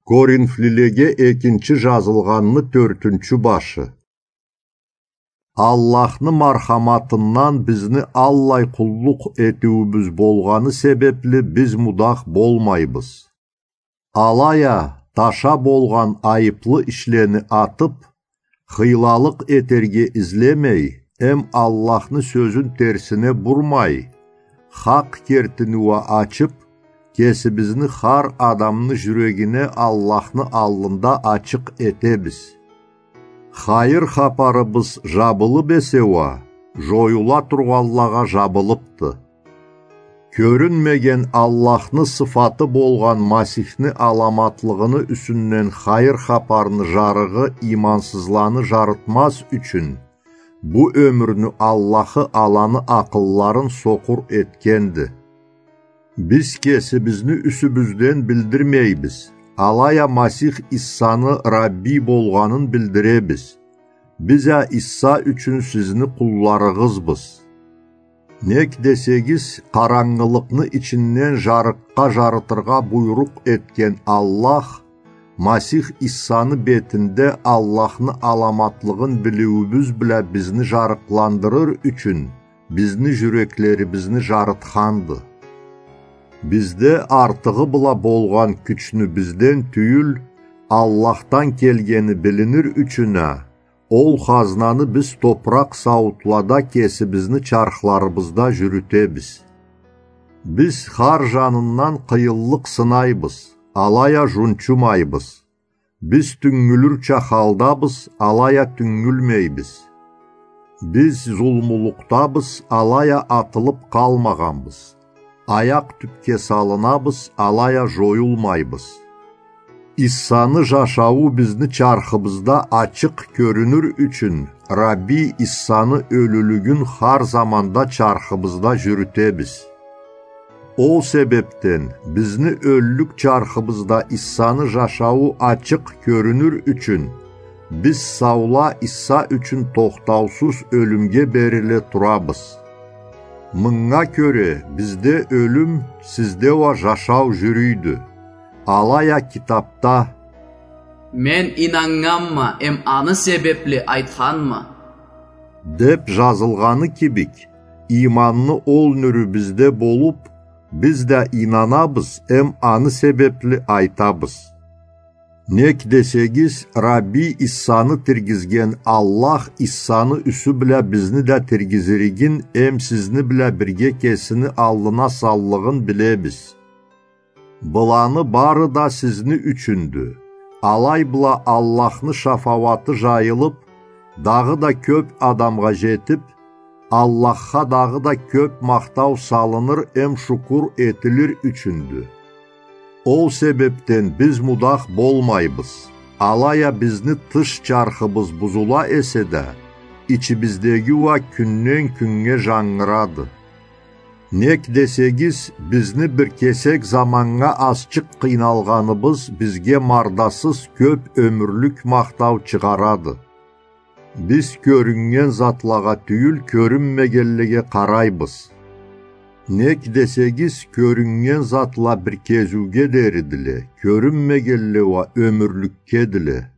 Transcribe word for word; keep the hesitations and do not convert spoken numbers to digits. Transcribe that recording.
Коринфлилеге экинчи жазылгъанны тёртюнчю башы. Аллахны мархаматындан бизни аллай къуллукъ этиуюбюз болгъаны себепли биз мудах болмайбыз. Алай а, таша болгъан айыплы ишлени атып, хыйлалыкъ этерге излемей, эм Аллахны сёзюн терсине бурмай, хакъ кертини уа ачып, кесибизни хар адамны жюрегине Аллахны аллында ачыкъ этебиз. Хайыр хапарыбыз жабылып эсе уа, жоюла тургъанлагъа жабылыпды. Кёрюнмеген Аллахны сыфаты болгъан Масихни аламатлыгъыны юсюнден хайыр хапарны жарыгъы имансызланы жарытмаз ючюн, бу ёмюрню Аллахы аланы акъылларын сокъур этгенди. Биз кесибизни юсюбюзден билдирмейбиз, алай а Масих Иссаны Рабби болгъанын билдиребиз. Биз а Исса ючюн сизни къулларыгъызбыз. Нек десегиз, къарангылыкъны ичинден жарыкъгъа жарытыргъа буйрукъ этген Аллах, Масих Иссаны бетинде Аллахны аламатлыгъын билиуюбюз бла бизни жарыкъландырыр ючюн, бизни жюреклерибизни жарытханды. Бизде артыгъы бла болгъан кючню бизден тюйюл, Аллахдан келгени билинир ючюн а, ол хазнаны биз топуракъ сауутлада кесибизни чархларыбызда жюрютебиз. Биз хар жанындан къыйынлыкъ сынайбыз, алай а жунчумайбыз. Биз тюнгюлюрча халдабыз, алай а тюнгюлмейбиз. Биз зулмулукъдабыз, алай а атылып къалмагъанбыз. Аякъ тюпге салынабыз, алай а жоюлмайбыз. Иссаны жашауу бизни чархыбызда ачыкъ кёрюнюр ючюн, Рабби Иссаны ёлюлюгюн хар заманда чархыбызда жюрютебиз. Ол себепден бизни ёллюк чархыбызда Иссаны жашауу ачыкъ кёрюнюр ючюн, биз саула Исса ючюн тохтаусуз ёлюмге бериле турабыз. Мынга кёре бизде ёлюм, сизде уа жашау жюрюйдю. Алай а китапда: «Мен ийнаннганма, эм аны себепли айтханма», — деп жазылгъаны кибик, ийманны ол нюрю бизде болуп, биз да ийнанабыз, эм аны себепли айтабыз. Нек десегиз, Рабби Иссаны тиргизген Аллах Иссаны юсю бла бизни да тиргизиригин, эм сизни бла бирге кесини аллына саллыгъын билебиз. Быланы бары да сизни ючюндю. Алай бла Аллахны шафауаты жайылып, дагъыда кёп адамгъа жетип, Аллахха дагъыда кёп махтау салыныр эм шукур этилир ючюндю. Ол себепден биз мудах болмайбыз. Алай а бизни тыш чархыбыз бузула эсе да, ичибиздеги уа кюнден кюннге жангырады. Нек десегиз, бизни бир кесек заманнга азчыкъ къыйналгъаныбыз бизге мардасыз кёп ёмюрлюк махтау чыгъарады. Биз кёрюннген затлагъа тюйюл, кёрюнмегенлеге къарайбыз. Нек десегиз, кёрюннген затла бир кезиуге деридиле, кёрюнмегенле уа ёмюрлюкгедиле.